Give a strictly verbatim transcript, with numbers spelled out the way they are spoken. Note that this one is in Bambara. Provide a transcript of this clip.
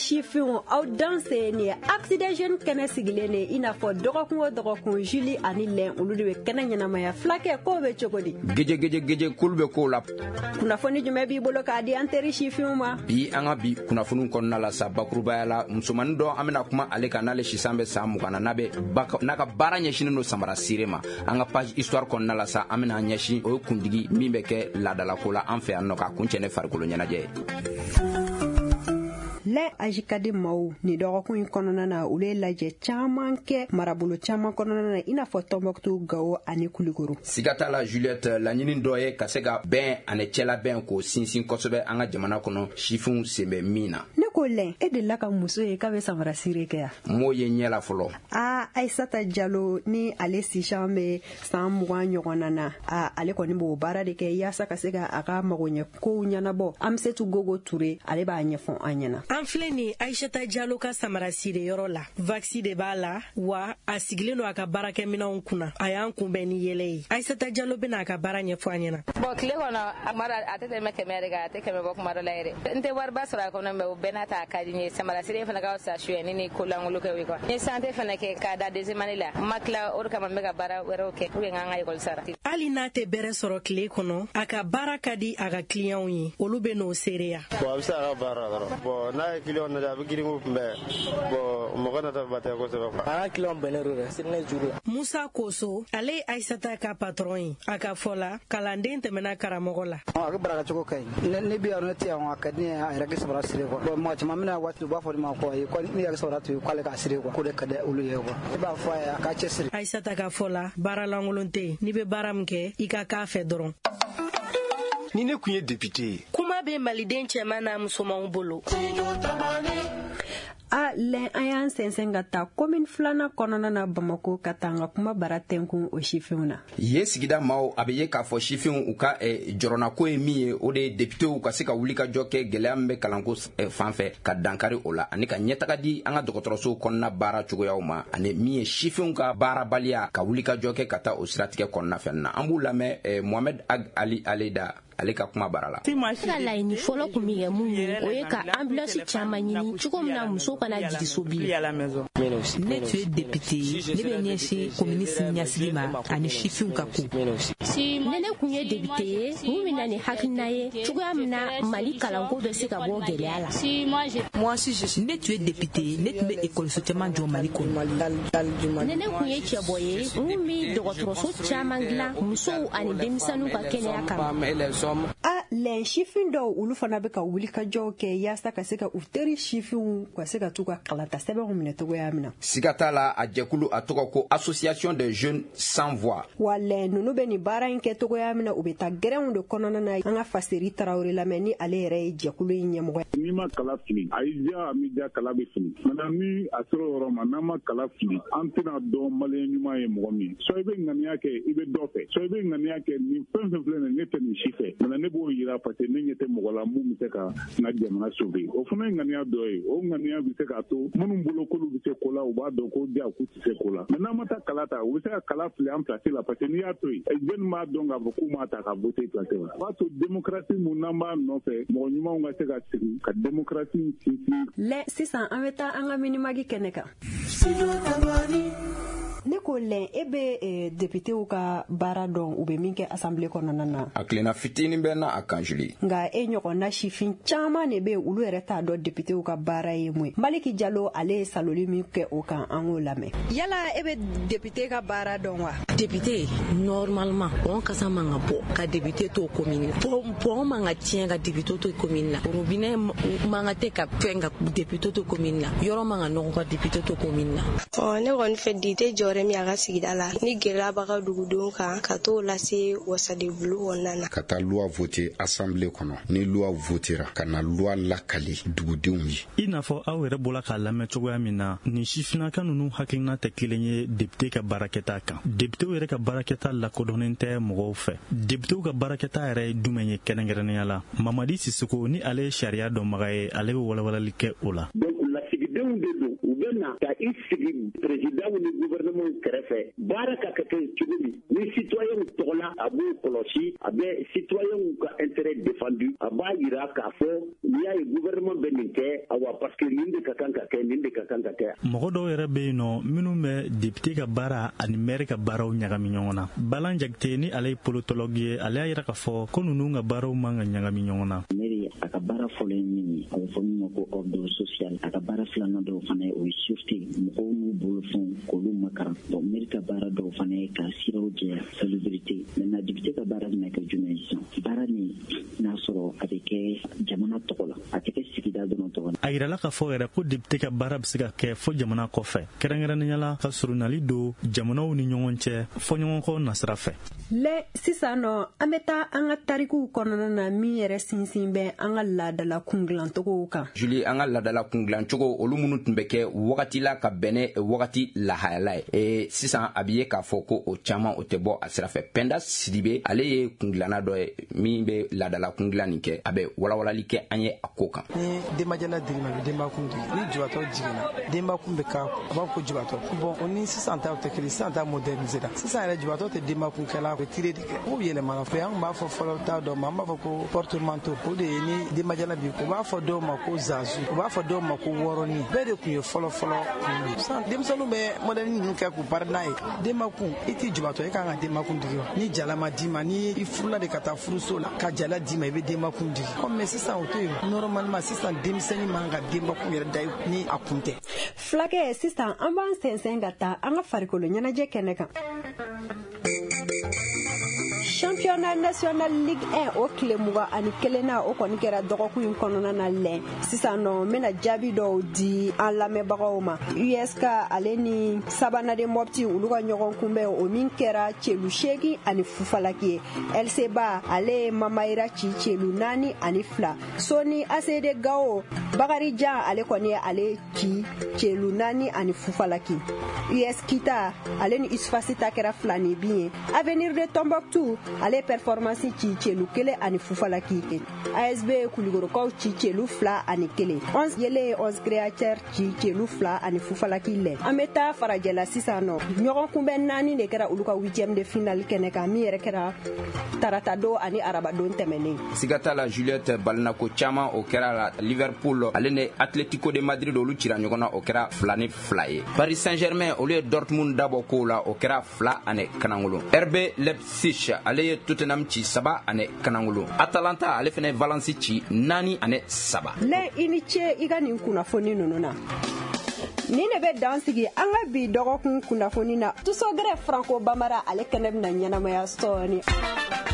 Sifinw, aw danse nin ye Axe des Jeunes kɛnɛ sigilen de, i n'a fɔ dɔgɔkun o dɔgɔkun, Julie ani Lɛn, olu de bɛ kɛnɛ ɲɛnamaya. Fulakɛ, k'o bɛ cogo di? Geje geje geje, kulu bɛ kow la. Kunnafoni jumɛn b'i bolo k'a di an teri sifinw ma? Bi, an ka bi kunnafoniw kɔnɔna la sa, bakurubaya la, musomanin dɔ, an bɛna kuma ale kan, n'ale sisan bɛ san mugan na, n'a bɛ n'a ka baara ɲɛsinnen don samara sire ma. An ka page histoire kɔnɔna la sa, an bɛna ɲɛsin o ye kundigi min bɛ kɛ laadalako la an fɛ yan nɔ, k'a kuncɛ ne farikolo ɲɛnajɛ ye. Lɛ Ajikadi maaw, nin dɔgɔkun in kɔnɔna na, olu ye lajɛ caman kɛ marabolo caman kɔnɔna na, i n'a fɔ Tɔnbɔkutu, Gawo ani Kulikoro. Siga t'a la, Juliette, laɲini dɔ ye ka se ka bɛn ani cɛlabɛn k'o sinsin kosɛbɛ an ka jamana kɔnɔ, sifinw sen bɛ min na. Ne ko Lɛn, e delila ka muso ye k'a bɛ samara sire kɛ yan? M'o ye ɲɛ la fɔlɔ. Aa, Ayisata Jalo ni ale sisan bɛ san mugan ɲɔgɔnna na, a ale kɔni b'o baara de kɛ yaasa ka se ka a ka magoɲɛ kow ɲɛnabɔ. Amisetu Gogo Ture, ale b'a ɲɛfɔ an ɲɛna. An filɛ nin Ayisata Jalo ka samara sire yɔrɔ la. Vaccin de b'a la wa, a sigilen don a ka baarakɛminɛnw kunna. A y'an kunbɛn ni yɛlɛ ye. Ayisata Jalo bɛna a ka baara ɲɛfɔ an ɲɛna. Bon, tile kɔnɔ, a kuma dɔ a tɛ tɛmɛ kɛmɛ yɛrɛ kan, a tɛ kɛmɛ bɔ kuma dɔ la yɛrɛ. N tɛ wariba sɔrɔ a kɔnɔ, mais o bɛɛ n'a ta, a ka di n ye. Samara sire fana ka fisa suyɛni ni kolangolo kɛ quoi. N ye santé fana kɛ k'a da deuxième année la, n ma tila, o de kama n bɛ ka baara wɛrɛw kɛ pour que n k'an ka école sara. Hali n'a tɛ bɛrɛ sɔrɔ tile kɔnɔ, a ka baara ka di a ka clients ye, olu bɛ n'o seereya. Bon, a bɛ se a ka baara la dɔrɔn. Bon, n'a ye client nata, a bɛ girin k'u kunbɛn. Bon, mɔgɔ nata ba tɛ kosɛbɛ quoi. An ka client bɛnnen don dɛ, sini juru la. Musa Koso, ale ye Ayisata ka patron ye. A ka fɔ la, kalanden tɛmɛna karamɔgɔ la. A ka baara cogo ka ɲi. Ne bɛ yan, ne tɛ yan, a ka di ne ye a yɛrɛ kɛ samara siri quoi. Bon, mɔgɔ caman bɛna waati, u b'a fɔ ne ma ko ayi, ko ne yɛrɛ samara to yen, k'ale k'a siri quoi, k'o de ka di olu ye quoi. Ne b'a fɔ a ye a k'a cɛsiri. Ayisata ka fɔ la, baara lankolon tɛ yen. N'i bɛ baara min kɛ, i ka k'a fɛ dɔrɔn. Ni ne tun ye député ye. Kuma bɛ maliden cɛman n'a musomanw bolo. A Lɛn, an y'an sɛnsɛn ka taa commune filanan kɔnɔna na Bamako, ka taa an ka kuma bara tɛnkun o sifinw na. Yen sigida maaw, a bɛ ye k'a fɔ sifinw u ka jɔrɔnako ye min ye, o de ye députéw ka se ka wuli ka jɔ kɛ gɛlɛya min bɛ kalanko fan fɛ, ka dankari o la, ani ka ɲɛtaga di an ka dɔgɔtɔrɔsow kɔnɔna baara cogoyaw ma, ani min ye sifinw ka baarabaliya, ka wuli ka jɔ kɛ ka taa o siratigɛ kɔnɔna fɛn na. An b'u lamɛn Mohamed Ag Ali Aleda, ale ka kuma bara la. Ne ka laɲini fɔlɔ kun bɛ kɛ mun ye, o ye ka ambulance caman ɲini cogo min na muso kana jigin so bilen. Ne tun ye député ye, ne bɛ ɲɛsin komini siniɲɛsigi ma ani sifinw ka ko. Ne ne kun ye député ye, mun bɛ na ni hakilina ye cogoya min na Mali kalanko bɛ se ka bɔ gɛlɛya la. Ne tun ye député ye, ne tun bɛ ekɔliso caman jɔ Mali kɔnɔ. Ne ne kun ye cɛbɔ ye, mun bɛ dɔgɔtɔrɔso caman dilan musow ani denmisɛnninw ka kɛnɛya kama. A Lɛn, sifin dɔw, olu fana bɛ ka wulikajɔw kɛ yaasa ka se ka u teri sifinw ka se ka t'u ka kalata sɛbɛnw minɛ cogoya min na. Siga t'a la, a jɛkulu, a tɔgɔ ko Association des jeunes sans voix. Wa Lɛn, ninnu bɛ nin baara in kɛ cogoya min na, u bɛ taa gɛrɛnw de kɔnɔna na. An ka Faseri Tarawele lamɛn, ni ale yɛrɛ ye jɛkulu in ɲɛmɔgɔ ye. N'i ma kala fili, a y'i diya, a m'i diya, kala bɛ fili. Maintenant, ni a sera o yɔrɔ ma, n'an ma kala fili, an tɛna dɔn maliyɛn ɲuman ye mɔgɔ min. Soit i bɛ ŋaniya kɛ, i bɛ dɔ fɛ, soit i bɛ ŋaniya kɛ, nin fɛn fɛn filɛ nin ye, ne tɛ nin si fɛ. Maintenant, ne b'o yira parce que ne ɲɛ tɛ mɔgɔ la mun bɛ se ka n ka jamana sauver. O fana ye ŋaniya dɔ ye. O ŋaniya bɛ se k'a to minnu bolo k'olu bɛ se ko la, u b'a dɔn ko diya k'u tɛ se ko la. Mais n'an ma taa kala ta, u bɛ se ka kala fili an place la, parce que n'i y'a to yen, jeunes b'a dɔn k'a fɔ k'u m'a ta ka voter place la. O b'a to démocratie mun n'an b'a nɔfɛ, mɔgɔ ɲumanw ka se ka sigi ka démocratie sinsin. Lɛ, sisan an bɛ taa an ka minimagi kɛnɛ kan. Ne ko Lɛn, e bɛ députéw ka baara dɔn, u bɛ min kɛ assemblée kɔnɔna na? A tilenna fitinin bɛ na a kan, Julie. Nka e ɲɔgɔnna sifin caman de bɛ yen, olu yɛrɛ t'a dɔn députéw ka baara ye mun ye. Maliki Jalo, ale ye saloli min kɛ o kan, an k'o lamɛn. Yala e bɛ député ka baara dɔn wa? Député, normalement, pont kasa man ka bɔ ka député to commune la, pont man ka tiɲɛ ka député to commune la, robinet man ka tɛ ka fɛn ka député to commune la, yɔrɔ man ka nɔgɔ ka député to commune la. Ɔ, ne kɔni fɛ, député jɔyɔrɔ min a ka sigida la, ni gɛlɛya b'a ka dugudenw kan, ka t'o lase wasadenbulu kɔnɔna na. Ka taa loi voter assemblée kɔnɔ, ni loi votera, ka na loi lakali dugudenw ye. I n'a fɔ aw yɛrɛ bɔra k'a lamɛn cogoya min na, nin sifinnaka ninnu hakilina tɛ kelen ye député ka baarakɛta kan. Députéw yɛrɛ ka baarakɛta lakodɔnnen tɛ mɔgɔw fɛ. Députéw ka baarakɛta yɛrɛ ye jumɛn ye kɛrɛnkɛrɛnnenya la? Mamadi Sisoko, ni ale ye sariya dɔnbaga ye, ale bɛ walawalali kɛ o la. Donc, lasigidenw Dugudenw de don, u bɛ na ka i sigi président ni gouvernement kɛrɛfɛ, baara ka kɛ cogo min ni citoyen tɔgɔ la, a b'o kɔlɔsi, a bɛ citoyen ka intérêt défendu, a b'a yira k'a fɔ n'i y'a ye gouvernement bɛ nin kɛ, awa parce que nin de ka kan ka kɛ, nin de ka kan ka kɛ. Mɔgɔ dɔw yɛrɛ bɛ yen nɔ minnu bɛ député ka baara ani maire ka baaraw ɲagami ɲɔgɔn na. Balan Jakite ni ale ye politologue ye, ale y'a yira k'a fɔ ko ninnu ka baaraw man ka ɲagami ɲɔgɔn na. Maire a ka baara fɔlɔ ye min ye, a bɛ fɔ min ma ko ordre social, a ka baara filanan dɔw fana ye o ye sûreté, mɔgɔw n'u bolofɛnw k'olu makaran. Bon, maire ka baara dɔw fana ye ka siraw jɛya, salubrité. Maintenant député ka baara bɛna kɛ jumɛn ye sisan? Baara nin n'a sɔrɔ a bɛ kɛ jamana tɔgɔ la, a tɛ kɛ sigida dɔrɔn tɔgɔ la. A yirala k'a fɔ yɛrɛ ko député ka baara bɛ se ka kɛ fo jamana kɔfɛ, kɛrɛnkɛrɛnnenya la ka surunali don jamanaw ni ɲɔgɔn cɛ fɔɲɔgɔnkɔ nasira fɛ. Lɛ sisan nɔ, an bɛ taa an ka tarikuw kɔnɔna na min yɛrɛ sinsin bɛ an ka laadala kungilancogow kan. Julie, an ka laadala kungilancogo olu minnu tun bɛ kɛ wagati la ka bɛn wagati lahayala ye, e sisan a bɛ ye k'a fɔ ko o caman o tɛ bɔ a sira fɛ. Penda Sidibe, ale ye kungilanna dɔ ye min bɛ laadala kungilan nin kɛ, a bɛ walawalali kɛ an ye a ko kan. Ni denbajala dir'i ma, i bɛ denbakun digi. Ni jubatɔ jiginna, denbakun bɛ k'a kun, a b'a fɔ ko jubatɔ. Bon, o ni sisan taw tɛ kelen, sisan ta modernisé la. Sisan yɛrɛ jubatɔ tɛ denbakun kɛla, a bɛ tire de kɛ. O yɛlɛmana fɛ, an b'a fɔ fɔlɔ ta dɔ ma, an b'a fɔ ko portemanteau. O de ye ni denbajala b'i kun. U b'a fɔ dɔw ma ko zazu, u b'a fɔ dɔw ma ko wɔrɔnin. Bɛɛ de tun ye fɔlɔ fɔlɔ kun ye. Sisan denmisɛnninw bɛ modèle ninnu kɛ k'u bari n'a ye. Denbakun, i t'i jubatɔ, i kan ka denbakun digi wa? Ni jala ma d'i ma, ni i furula de ka taa furuso la ka jala d'i ma, i bɛ denbakun digi. Ɔ mais sisan o tɛ yen. Normalement sisan denmisɛnnin man ka denbakun yɛrɛ da ni a kun tɛ. Fulakɛ, sisan an b'an sɛnsɛn ka taa an ka farikolo ɲɛnajɛ kɛnɛ kan. Championnat national Ligue un o tile mugan ani kelen na, o kɔni kɛra dɔgɔkun in kɔnɔna na lɛn. Sisan nɔ, n bɛna jaabi dɔw di an lamɛnbagaw ma. U S K ale ni Sabanade Mopti olu ka ɲɔgɔn kunbɛn, o min kɛra celu seegin ani fufalaki ye. L C Ba ale ye Mamayira ci celu naani ani fila. Soni A C D Gao Bakarijan ale kɔni ye ale ci celu naani ani fufalaki. U S Kita ale ni Usfasi ta kɛra fila ni bin ye. Avenir de Tombouctou ale performance ci celu kelen ani fufalaki. A S B Kulikorokaw ci celu fila ani kelen. Onze yele onze créateur ci celu fila ani fufalaki lɛ. An bɛ taa farajɛla sisan nɔ, ɲɔgɔn kunbɛn naani de kɛra olu ka huitième de finale kɛnɛ kan, min yɛrɛ kɛra tarata don ani arabadon tɛmɛnen. Siga t'a la Juliette, balinako caman o kɛra la. Liverpool ale ni Atletico de Madrid olu cira ɲɔgɔn na, o kɛra fila ni fila ye. Paris Saint-Germain olu ye Dortmund dabɔ kow la, o kɛra fila ani kanangolo. R B Leipzig ale ye Tottenham ci saba ani kanangolo. Atalanta ale fana ye Valence ci naani ani saba. Lɛ, i ni ce i ka nin kunnafoni ninnu na. Nin de bɛ dan sigi an ka bi dɔgɔkun kunnafoni na. Tusogɛrɛ Franco Bambara ale kɛnɛ bɛna ɲɛnamaya sɔɔni.